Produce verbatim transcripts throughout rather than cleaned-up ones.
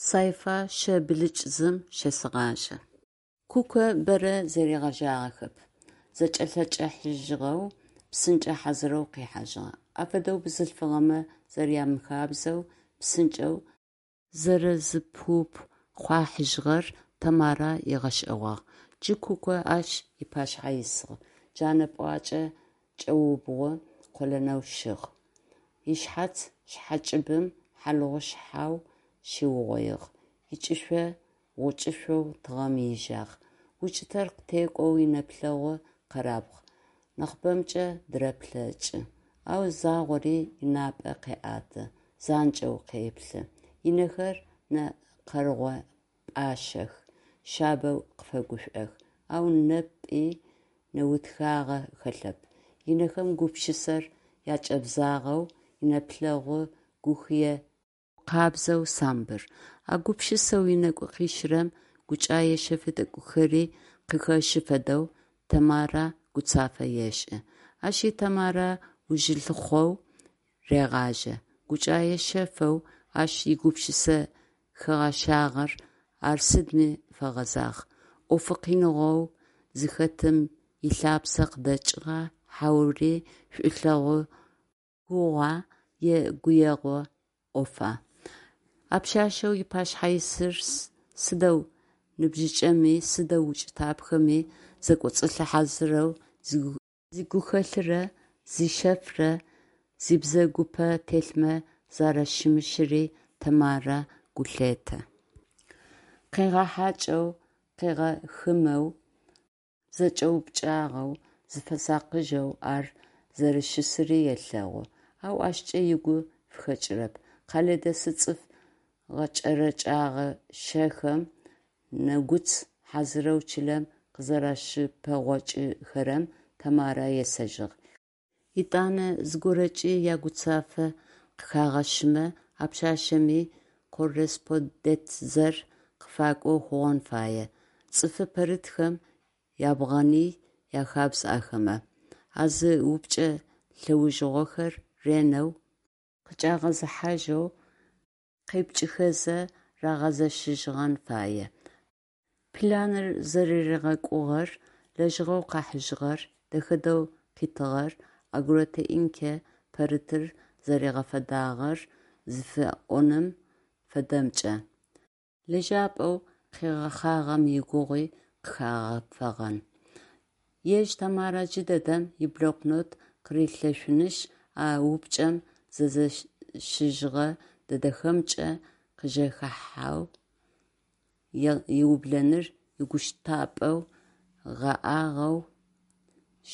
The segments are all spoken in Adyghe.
Сайфа щэ блыкӏ зым щесэгъажъэ. Куко бэрэ зэригъэжагъэхэп, зэкӏэлъэкӏыхьажьыгъэу, псынкӏэ хьазырэу къихьажьыгъ. Афэдэу бзылъфыгъэмэ зэрямыхабзэу псынкӏэу зэрэзыпыупхъуахьыжьыгъэр Тэмарэ ыгъэшӏэгъуагъ. Джы Куко ащ ыпашъхьэ исыгъ. Джанэ пӏуакӏэ кӏэубгъу къолэнэу щыгъ. Ышъхьац шъхьэкӏыбым хьалыгъу шъхьау щиугъоигъ. Ыкӏышъо гъукӏышъоу тыгъэм ижъагъ. Укӏытэр къытекӏоу инэплъэгъу къэрабгъ, нахьыбэмкӏэ дыреплъэкӏы, ау загъори ынапӏэ къеӏэты, занкӏэу къеплъы. Ынэхэр нэ къэргъо пӏашъэх, шъабэу къыфэгушӏох, ау непи нэутхагъэ хэлъэп. Ынэхэм гупшысэр акӏэбзагъэу, инэплъэгъу гухые гукъабзэу самбыр. А гупшысэу ынэгу къищырэм гукӏае шъэфы тӏэкӏухэри къыхэщы фэдэу Тэмарэ гуцафэ ешӏы. Ащи Тэмарэ ужылъыхъоу регъажьэ. Гукӏае шъэфэу ащ игупшысэ хэгъэщагъэр ар сыдми фэгъэзагъ: ӏофы къиныгъоу зыхэтым ылъапсэ къыдэкӏыгъа, хьаури шӏулъэгъу гугъуа е гуегъу ӏофа? А пшъашъэу ыпашъхьэ исыр сыдэу ныбжьыкӏэми, сыдэу укӏытапхэми, зэкӏоцӏылъы хьазырэу зигухэлърэ зишъэфрэ зибзэгупэ телъмэ зэращымыщыри Тэмарэ гу лъетэ. Къегъэхьакӏэу, къегъэхымэу, зэкӏэупкӏагъэу, зыфэсакъыжьэу ар зэрэщысыри елъэгъу, ау ащкӏэ ыгу фыхэкӏырэп. Къэлэдэсы цӏыф гъэкӏэрэкӏэгъащэхэм нэгуц хьазырэу чылэм къызэращыпэгъокӏыхэрэм Тэмарэ есэжьыгъ. Етӏанэ зыгорэкӏи ягуцафэ къыхагъэщымэ, а пшъашъэми корреспондентзэр къыфакӏоу хъугъэн фае, цӏыфы пэрытхэм ябгъэни яхабз ахэмэ, а зы упчӏэ лӏэужыгъохэр ренэу къыкӏагъэзыхьажьэу къепкӏыхэзэ рагъэзэщыжьыгъэн фае. Планыр зэрэригъэкӏугъэр, лэжьыгъэу къыхьыжьыгъэр, дэхэ дэдэу къытыгъэр, агротехникэ пэрытыр зэригъэфедагъэр зыфиӏоным фэдэмкӏэ. Лэжьапӏэу къыгъэхъагъэм игугъуи къыхэгъэфэгъэн. Ежь Тэмарэ джыдэдэм иблокнот къырилъэшъунышъ, а упчӏэм зэзэщыжьыгъэ дэдэхэмкӏэ къыжэхахьэу ыублэныр игущтапӏэу, гъэӏагъэу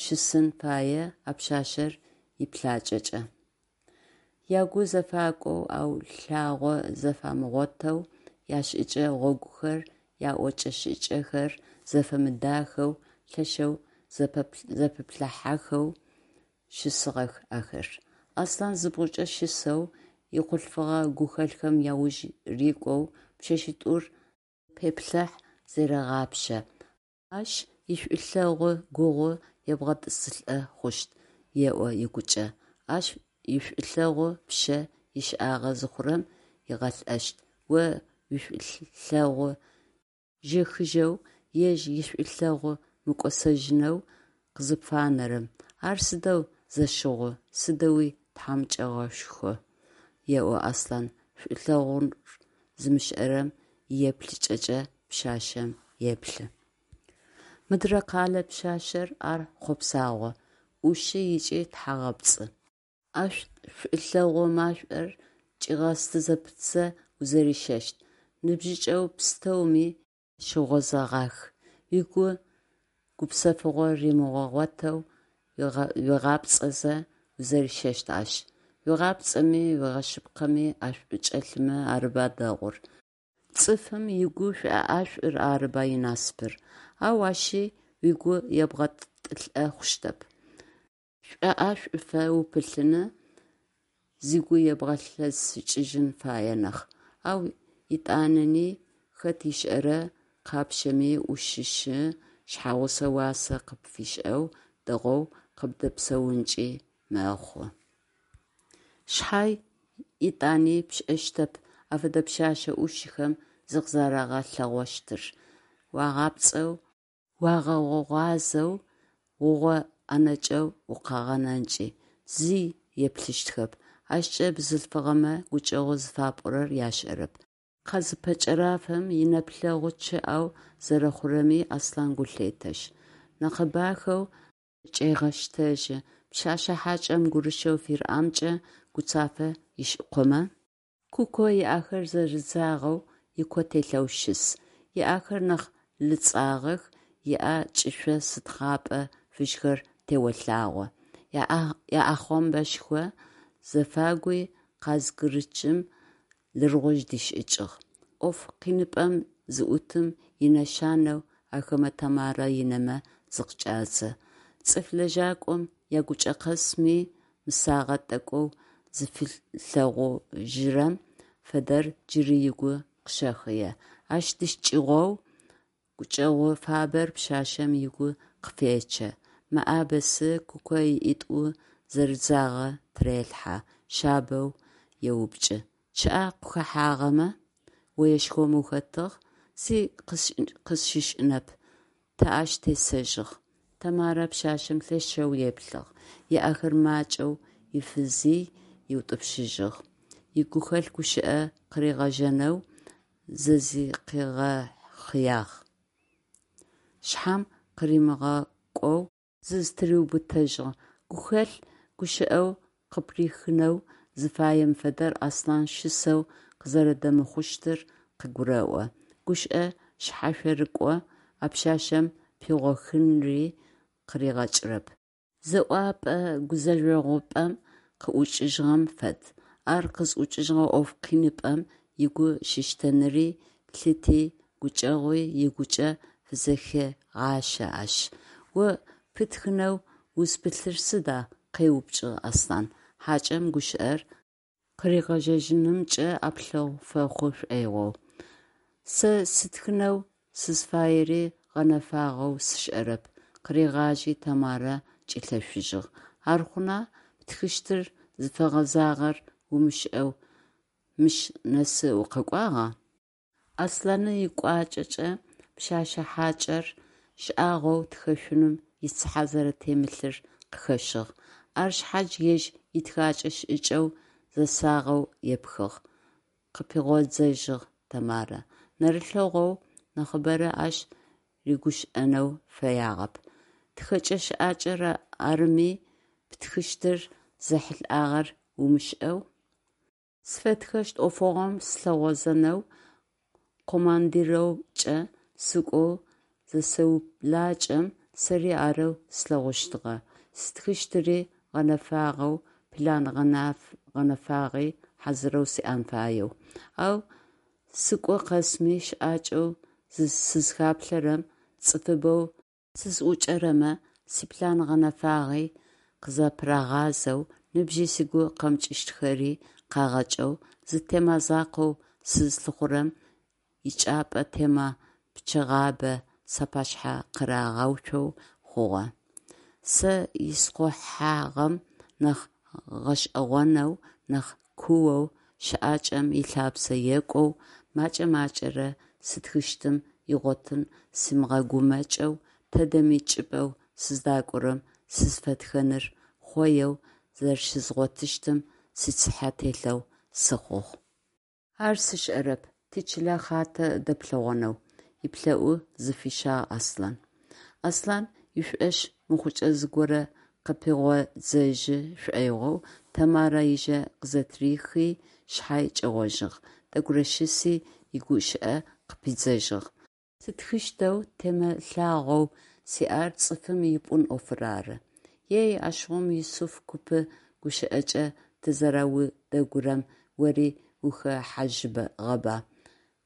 щысын фае а пшъашъэр иплъакӏэкӏэ. Ягу зэфакӏоу, ау лъагъо зэфамыгъотэу, яшӏыкӏэ гъогухэр, яӏокӏэ-шӏыкӏэхэр зэфэмыдахэу, лъэшэу зэпэплъыхьэхэу щысыгъэх ахэр. Аслъан зыбгъукӏэ щысэу, ихъулъфыгъэ гухэлъхэм яуж рикӏоу пшъэшъитӏур зэпеплъыхь, зэрегъапшэ. Ащ ишӏулъэгъу гугъу ебгъэтӏысылӏэ хъущт, еӏо ыгукӏэ, ащ ишӏулъэгъу пшъэ ишӏагъэ зыхъурэм ыгъэлӏэщт, о уишӏулъэгъу жэхыжьэу, ежь ишӏулъэгъу мыкӏосэжьынэу къызыпфанэрэм, ар сыдэу зэщыгъу, сыдэуи тхьамыкӏэгъошху, еӏо Аслъан, шӏулъэгъур зымышӏэрэм иеплъыкӏэкӏэ пшъашъэм еплъы. Мыдрэ къэлэ пшъашъэр - ар хъопсагъо, ӏушы ыкӏи тхьагъэпцӏы. Ащ шӏулъэгъу машӏор кӏигъэсты зэпытзэ узэрищэщт, ныбжьыкӏэу пстэуми ащыгъозэгъах, угу гупсэфыгъо римыгъэгъотэу уигъапцӏэзэ узэрищэщт ащ. Уигъапцӏэми, уегъэшъыпкъэми ӏэшӏу кӏэлъымэ арыба дэгъур, цӏыфым ыгу шӏоӏэшӏур арыба инасыпыр. Ау ащи угу ебгъэтӏылӏэ хъущтэп. Шӏоӏэшӏуфэ упылъыни, зыгу ебгъэлъэсыкӏыжьын фае нахь. Ау етӏанэни, хэт ышӏэра, къапщэми, ӏушыщы, шъхьэгъусэ уасэ къыпфишӏэу, дэгъоу къыбдэпсэункӏи мэхъу. Шъхьай, етӏани пшӏэщтэп афэдэ пшъэшъэ ӏушхэм зыкъызэрагъэлъэгъощтыр: уагъапцӏэу, уагъэгъуазэу, гъугъо ӏэнэкӏэу укъагъэнэнкӏи зи еплъыщтхэп, ащкӏэ бзылъфыгъэмэ гукӏэгъу зыфапӏорэр яшӏэрэп. Къазыпэкӏэрафэм, инэплъэгъу чъыӏэу зэрэхъурэми Аслъан гу лъетэшъ, мэкъэ дахэу къызэкӏегъэщтэжьы, пшъэшъэ хьакӏэм гурышэу фыриӏэмкӏэ гуцафэ ышӏыкъомэ? Куко ыӏэхэр зэрыдзагъэу ико телъэу щыс. Ыӏэхэр нахь лыцӏагъэх, ыӏэ кӏышъо сытхъапӏэ фыжьхэр теолъагъо. Ыӏэхъомбэшхо зэфагуи къазгъырычым лыргъужъ дишӏыкӏыгъ. ӏоф къиныпӏэм зыӏутым инэшанэу ахэмэ Тэмарэ ынэмэ зыкъыкӏадзэ. Цӏыф лэжьакӏом ягукӏэ къэсми, мысагъэ тӏэкӏоу зыфилъэгъужьырэм фэдэр джыри ыгу къыщэхъые, ащ дыкӏыгъоу гукӏэгъу фабэр пшъашъэм ыгу къыфечъэ, мэӏабэзы Куко ыӏитӏу зэрыдзагъэ тырелъхьэ, шъабэу еупчӏы: «Чъыӏэ къыхэхьагъэмэ, оешхом ухэтыгъ?» «Зи къысщышӏынэп, тэ ащ тесэжьыгъ», Тэмарэ пшъашъэм лъэшэу еплъыгъ, ыӏэхэр макӏэу ыфызый ыутӏупщыжьыгъ, игухэлъ гущыӏэ къыригъэжьэнэу зызэкӏигъэхъыягъ шъхьам къыримыгъэкӏоу зызтыриубытэжьыгъ, гухэлъ гущыӏэу къыприхынэу зыфаем фэдэр Аслъан щысэу къызэрэдэмыхъущтыр къыгурэӏо, гущыӏэ шъхьашъорыкӏо а пшъашъэм пигъохынри къыригъэкӏырэп. Зэуапӏэ-гузэжъогъупӏэм къыӏукӏыжьыгъэм фэд, ар къызӏукӏыжьыгъэ ӏоф къиныпӏэм ыгу щыщтэныри, лъыти, гукӏэгъуи ыгукӏэ фызэхегъащэ ащ. «О птхынэу узпылъыр сыда?» къеупчӏыгъ Аслъан, хьакӏэм гущыӏэр къыригъэжьэжьынымкӏэ ӏэплъэгъу фэхъу шӏоигъоу. «Сэ стхынэу сызфаери гъэнэфагъэу сшӏэрэп», къыригъажьи Тэмарэ кӏилъэшъужьыгъ. «Ар хъуна, птхыщтыр зыфэгъэзагъэр умышӏэу мыщ нэсы укъэкӏуагъа?» Аслъаны ыкӏуачӏэкӏэ пшъэшъэ хьакӏэр шӏагъоу тхэшъуным ицыхьэ зэрэтемылъыр къыхэщыгъ. Ар шъхьадж ежь итхакӏэ шӏыкӏэу зэсагъэу епхыгъ, къыпигъодзыжьыгъ Тэмарэ. Нэрылъэгъоу нахьыбэрэ ащ рыгущыӏэнэу фэягъэп. Тхэкӏэ шӏыкӏэр арыми, птхыщтыр зэхьылӏагъэр умышӏэу. Сфэтхэщт ӏофыгъом сылъыгъозэнэу командировкӏэ сыкӏоу зысэублакӏэм, сэри арэу слъэгъущтыгъэ, стхыщтыри гъэнэфагъэу, план гъэнэфагъи хьазырэу сиӏэн фаеу. Ау сыкӏо къэсми щыӏакӏэу сызхаплъэрэм, цӏыфыбэу сызӏукӏэрэмэ сиплан гъэнэфагъи къызэпырагъазэу, ныбжьи сыгу къэмыкӏыщтхэри къагъэкӏэу, зы тема закъоу сызлъыхъурэм ичӏыпӏэ тема пчъэгъабэ сапашъхьэ къырагъэуцоу хъугъэ. Сэ исхъухьагъэм нахь гъэшӏэгъонэу, нахь куоу, щыӏакӏэм ылъапсэ екӏоу, мэкӏэ-макӏэрэ стхыщтым игъотын симыгъэгумэкӏэу, тыдэми чӏыпӏэу сыздакӏорэм сызфэтхэныр хъоеу зэрэщызгъотыщтым сицыхьэ телъэу сыхъугъ. Ар сшӏэрэп, тичылэ хатэ дэплъэгъонэу, иплъэӏу зыфищагъ Аслъан. Аслъан ышӏошъ мыхъукӏэ зыгорэ къыпигъодзыжьы шӏоигъоу Тэмарэ ыжэ къызэтырихи шъхьай кӏэгъожьыгъ, тӏэкӏурэ щыси, игущыӏэ къыпидзэжьыгъ. Сытхыщтэу темэ лъагъоу сиӏэр цӏыфым ипӏун ӏофыр ары. Ей, ащыгъум Юсыф купы гущыӏэкӏэ тызэраудэгурэм ори ухэхьажьыгъэба!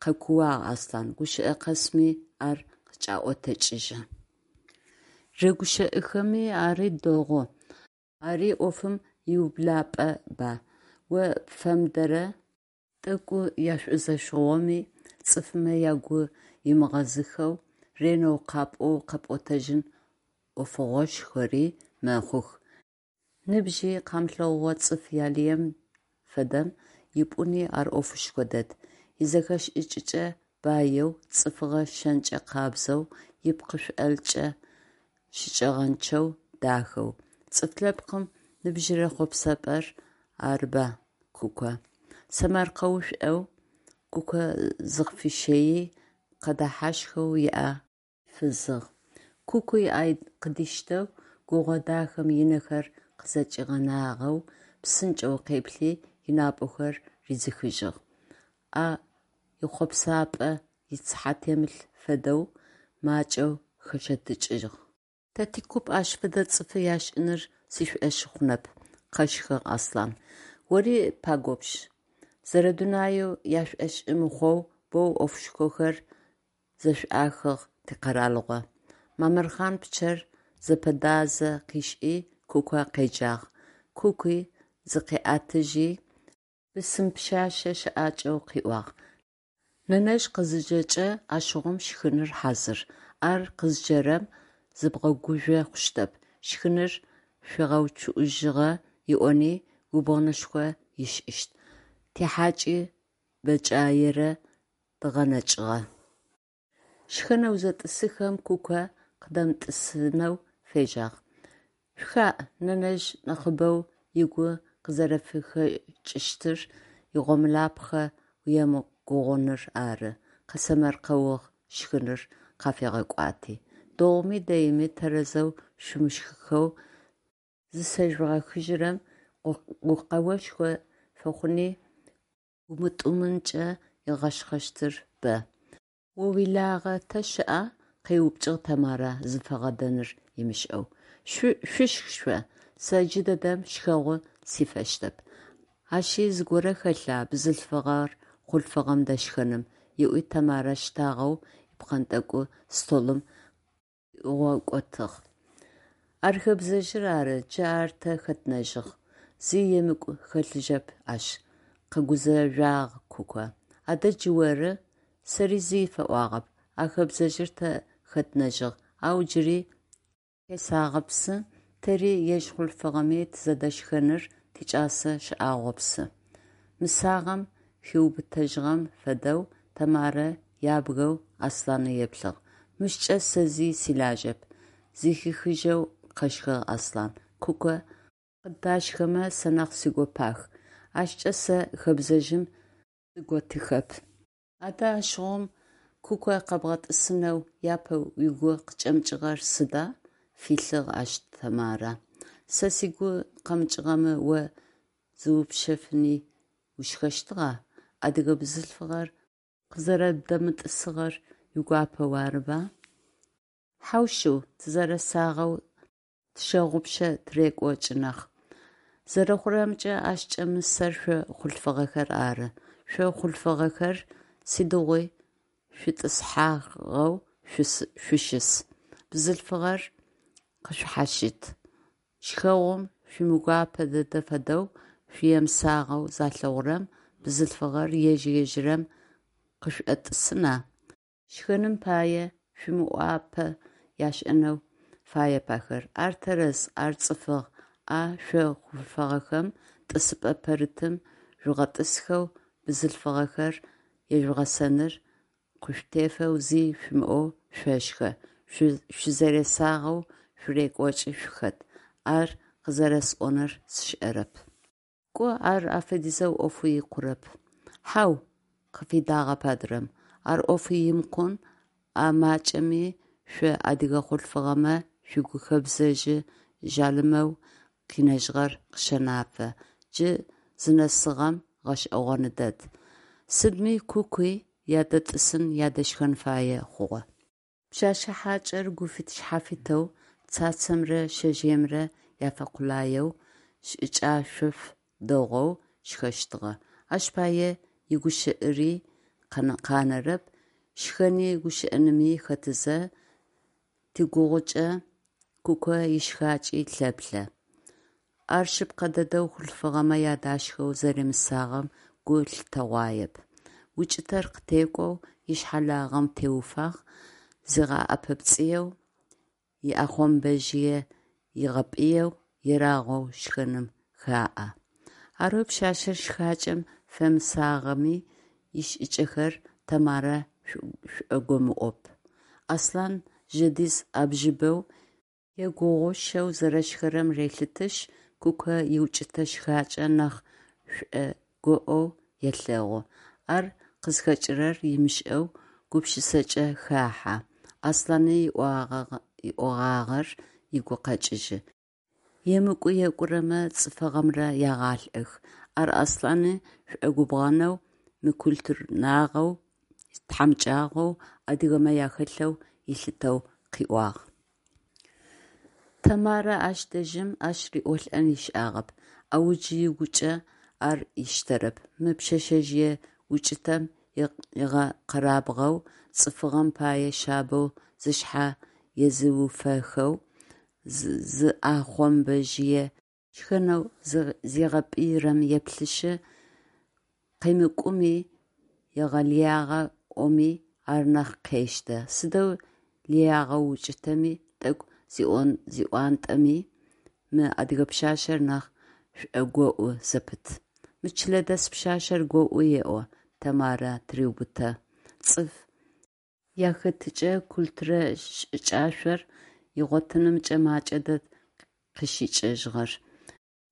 Къэкууагъ Аслъан, гущыӏэ къэсми ар къыкӏаӏотыкӏыжьы. Рэгущыӏэхэми ари дэгъу, ари ӏофым иублапӏэба, о пфэмыдэрэ тӏэкӏу яшӏузэщыгъоми, цӏыфмэ ягу ымыгъэзыхэу, ренэу къапӏоу къэпӏотэжьын ӏофыгъошхори мэхъух, ныбжьи къамылъэгъугъэ цӏыф ялыем фэдэм ипӏуни ар ӏофышхо дэд, изэхэшӏыкӏыкӏэ баеу, цӏыфыгъэ шэнкӏэ къабзэу, ипкъышъолкӏэ щыкӏэгъэнчъэу, дахэу. Цӏыфлъэпкъым ныбжьырэ хъопсапӏэр арыба Куко? Сэмэркъэушӏоу Куко зыкъыфищэий, къэдэхьащхэу ыӏэ фызыгъ. Кукуи ӏэ къыдиштэу, гугъо дахэм ынэхэр къызэкӏигъэнагъэу псынкӏэу къеплъи, ынапӏэхэр ридзыхыжьыгъ. А ихъопсапӏэ ицыхьэ темылъ фэдэу макӏэу хэщэтыкӏыгъ. Тэ тикуп ащ фэдэ цӏыфы яшӏыныр сшӏошъы хъунэп, къэщхыгъ Аслъан. Ори пагопщ. Зэрэдунаеу яшӏошӏы мыхъоу боу ӏофышхохэр зэшӏуахыгъ тикъэралыгъо. Мамырхъан пчъэр зэпэдазэ къышӏи Куко къеджагъ. Кукуи зыкъиӏэтыжьи, бысым пшъэшъэ щыӏакӏэу къыӏуагъ: «Нэнэжъ къызыджэкӏэ, ащыгъум шхыныр хьазыр. Ар къызыджэрэм зыбгъэгужъо хъущтэп, шхыныр шъуигъэучъыӏужьыгъэ ыӏони губгъэнышхо ышӏыщт. Тихьакӏи бэкӏаерэ дгъэнэкӏыгъэ». Шхэнэу зэтӏысыхэм Куко къыдэмытӏысынэу фежьагъ. «Шъухаӏ, нэнэжъ нахьыбэу ыгу къызэрэфыхэкӏыщтыр игъомылапхъэ уемыгугъуныр ары», – къесэмэркъэугъ шхыныр къафигъэкӏуати. «Дэгъуми дэими тэрэзэу шъумышхыхэу зысэжъугъэхыжьырэм гукъэошхо фэхъуни гумытӏумынкӏэ ыгъэшхэщтыр бэ». «О уилагъэ тэ щыӏа?» – къеупчӏыгъ Тэмарэ зыфигъэдэныр ымышӏэу. «Шъушх шъо, сэ джыдэдэм шхэгъу сифэщтэп». «Ащи зыгорэ хэлъа бзылъфыгъэр хъулъфыгъэм дэшхэным?» – ыӏуи Тэмарэ щтагъэу ипхъэнтӏэкӏу столым къыӏуигъэкӏотыгъ. «Ар хэбзэжъыр ары, джы ар тэ хэтынэжьыгъ, зи емыкӏу хэлъыжьэп ащ», – къэгузэжъуагъ Куко. «Адэ джы оры?» Сэри зи фэӏуагъэп, а хэбзэжъыр тэ хэтынэжьыгъ, ау джыри тесагъэпсы, тэри, ежь хъулъфыгъэми тызэдэшхэныр тикӏэсэ шӏагъопсы. Мысагъэм хиубытэжьыгъэм фэдэу Тэмарэ ябгэу Аслъанэ еплъыгъ. «Мыщкӏэ сэ зи силажьэп», – зыхихыжьэу къэщхыгъ Аслъан. «Куко къыддашхэмэ сэ нахь сигопах, ащкӏэ сэ хэбзэжъым сыготыхэп». «Адэ ащыгъум Куко къэбгъэтӏысынэу япэ угу къыкӏэмыкӏыгъэр сыда?» – филъыгъ ащ Тэмарэ. «Сэ сыгу къэмыкӏыгъэмэ о зыупщэфыни ушхэщтыгъа? Адыгэ бзылъфыгъэр къызэрэбдэмытӏысыгъэр уигуапэу арыба?» «Хьау шъыу, тызэрэсагъэу тщэгъупшэ тырекӏокӏы нахь». «Зэрэхъурэмкӏэ, ащкӏэ мысэр шъо хъулъфыгъэхэр ары. Шъо хъулъфыгъэхэр сыдигъуи шъутӏысхьагъэу шъущыс, бзылъфыгъэр къышъушъхьащыт. Шхэгъум шъуимыгопэ дэдэ фэдэу, шъуемысагъэу залъэгъурэм, бзылъфыгъэр ежь-ежьырэу къышъотӏысына? Шхэным пае шъуимыӏуапэ яшӏэнэу фаеп ахэр. Ар тэрэз, ар цӏыфыгъ, а шъо хъулъфыгъэхэм тӏысыпӏэ пэрытым жъугъэтӏысхэу бзылъфыгъэхэр ежъугъэсэныр къышъутефэу зи шъумыӏоу шъошхэ, шъузэресагъэу шъурекӏокӏы шъухэт, ар къызэрэсӏоныр сшӏэрэп. Кӏо ар афэдизэу ӏофы икъурэп. Хьау, къыфидагъэп адрэм, ар ӏофы имыкъун, а макӏэми шъо адыгэ хъулъфыгъэмэ шъугу хэбзэжъы жъалымэу къинэжьыгъэр къыщэнафэ, джы зынэсыгъэм гъэшӏэгъоны дэд. Сыдми Кукуи ядэтӏысын, ядэшхэн фае хъугъэ. Пшъэшъэ хьакӏэр гуфит-шъхьафитэу, цацэмрэ шъэжъыемрэ яфэкъулаеу, шӏыкӏашъоу дэгъоу шхэщтыгъэ. Ащ пае игущыӏыри къанэрэп, шхэни гущыӏэными хэтызэ, тигугъукӏэ Куко ишхакӏи лъэплъэ. Ар шъыпкъэ дэдэу хъулъфыгъэмэ ядашхэу зэремысагъэм гу лъытэгъуаеп. Укӏытэр къытекӏоу, ышъхьэ лагъэм теуфагъ, зигъэӏэпэпцӏыеу, ыӏэхъомбэжъые ыгъэпӏыеу, ерагъэу шхэным хаӏэ. Арэу пшъашъэр шхакӏэм Фэмысагъэми, ишӏыкӏэхэр Тэмарэ шӏогомыӏоп. Аслъан жэдиз ӏэбжыбэу, егугъущэу зэрэшхэрэм релъытышъ, Куко иукӏытэ шхакӏэ нахь шӏогоӏоу елъэгъу. Ар къызхэкӏырэр ымышӏэу гупшысакӏэ хахьэ, Аслъаны ыӏогъагъэр ыгу къэкӏыжьы: «Емыкӏу екӏурэмэ цӏыфыгъэмрэ егъалӏэх». Ар Аслъани шӏогубгъэнэу, мыкультурнагъэу, тхьамыкӏагъоу адыгэмэ яхэлъэу ылъытэу къыӏуагъ. Тэмарэ ащ дэжьым ащ риӏолӏэн ышӏагъэп, ау джы ыгукӏэ ар ыштэрэп: мы пшъэшъэжъые укӏытэм ыгъэкъэрабгъэу, цӏыфыгъэм пае шъабэу зышъхьэ езыуфэхэу, зыӏэхъомбэжъые шхэнэу зигъэпӏыйрэм еплъышъы, къемыкӏуми, егъэлыягъэ ӏоми ар нахь къештэ, сыдэу лыягъэу укӏытэми, тӏэкӏу зиӏонтӏэми мы адыгэ пшъашъэр нахь шӏогоӏу зэпыт. Мы чылэдэс пшъашъэр гоӏу еӏо Тэмарэ тыреубытэ, цӏыф яхэтыкӏэ культурэ шӏыкӏашъор ыгъотынымкӏэ макӏэ дэд къыщыкӏэжьыгъэр.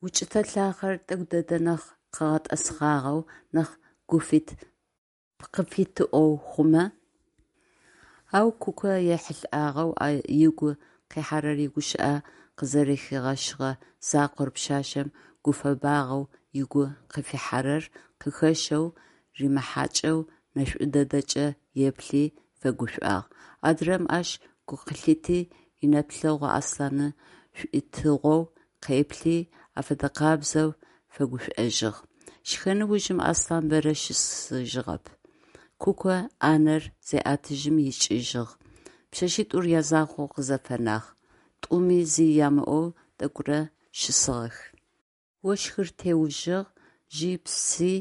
Укӏытэ лъахъэр тӏэкӏу дэдэ нахь къэгъэтӏэсхъагъэу, нахь гуфит пкъыфитыӏоу хъумэ. Ау Куко ехьылӏагъэу ыгу къихьэрэр игущыӏэ къызэрэхигъэщыгъэ закъор пшъашъэм гуфэбагъэу ыгу къыфихьэрэр къыхэщэу, римыхьакӏэу нэшӏу дэдэкӏэ еплъи, фэгушӏуагъ. Адрэм ащ гу къылъити, инэплъэгъу Аслъаны шӏуитыгъоу къеплъи, афэдэкъабзэу фэгушӏожьыгъ. Шхэн ужым Аслъан бэрэ щысыжьыгъэп. Куко ӏанэр зеӏэтыжьым икӏыжьыгъ. Пшъэшъитӏур язакъоу къызэфэнагъ. Тӏуми зи амыӏоу тӏэкӏурэ щысыгъэх. Ощхыр теужьыгъ, жьи пси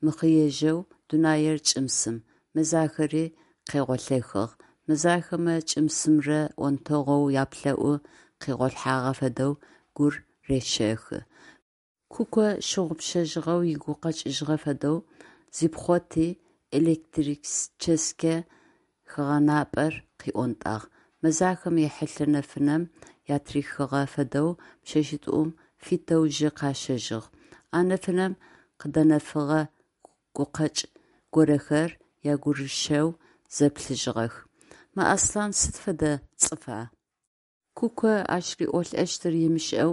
мыхъыежьэу дунаир кӏым-сым, мэзахэри къегъолъэхыгъ. Мэзахэмэ кӏым-сымрэ онтэгъоу яплӏэӏу къигъолъхьагъэ фэдэу гур рещэхы. Куко щыгъупшэжьыгъэу ыгу къэкӏыжьыгъэ фэдэу зипхъоти, электрическэ хэгъэнапӏэр къыӏонтӏагъ. Мэзахэм ихьылъэ нэфынэм атырихыгъэ фэдэу пшъэшъитӏум фитэу жьы къащэжьыгъ. А нэфынэм къыдэнэфыгъэ гукъэкӏ горэхэр ягурышэу зэплъыжьыгъэх: «Мы Аслъан сыд фэдэ цӏыфа?» Куко ащ риӏолӏэщтыр ымышӏэу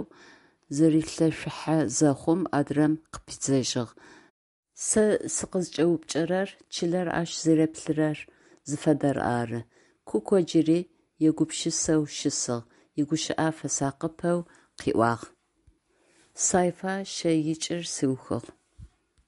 зырилъэшъухьэ зэхъум, адрэм къыпидзэжьыгъ: «Сэ сыкъызкӏэупчӏэрэр чылэр ащ зэреплъырэр зыфэдэр ары», – Куко джыри егупшысэу щысыгъ, игущыӏэ фэсакъыпэу къыӏуагъ: Сайфа щэикӏыр сыухыгъ.